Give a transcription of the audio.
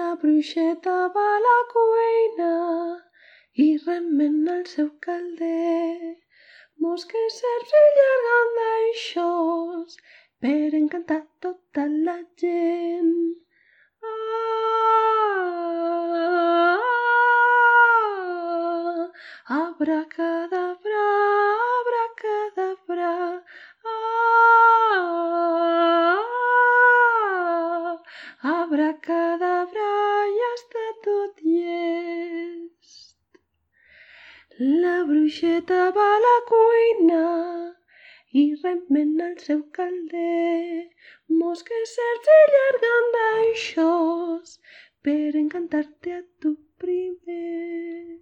La bruixeta va a la cuina i remen el seu calder. Mosques, serps i llangardaixos per encantar tota la gent. Abracadabra, abracadabra, abracadabra, ja està tot llest. La bruixeta va a la cuina i remena el seu calder. Mosques, serps i llangardaixos per encantar-te a tu primer.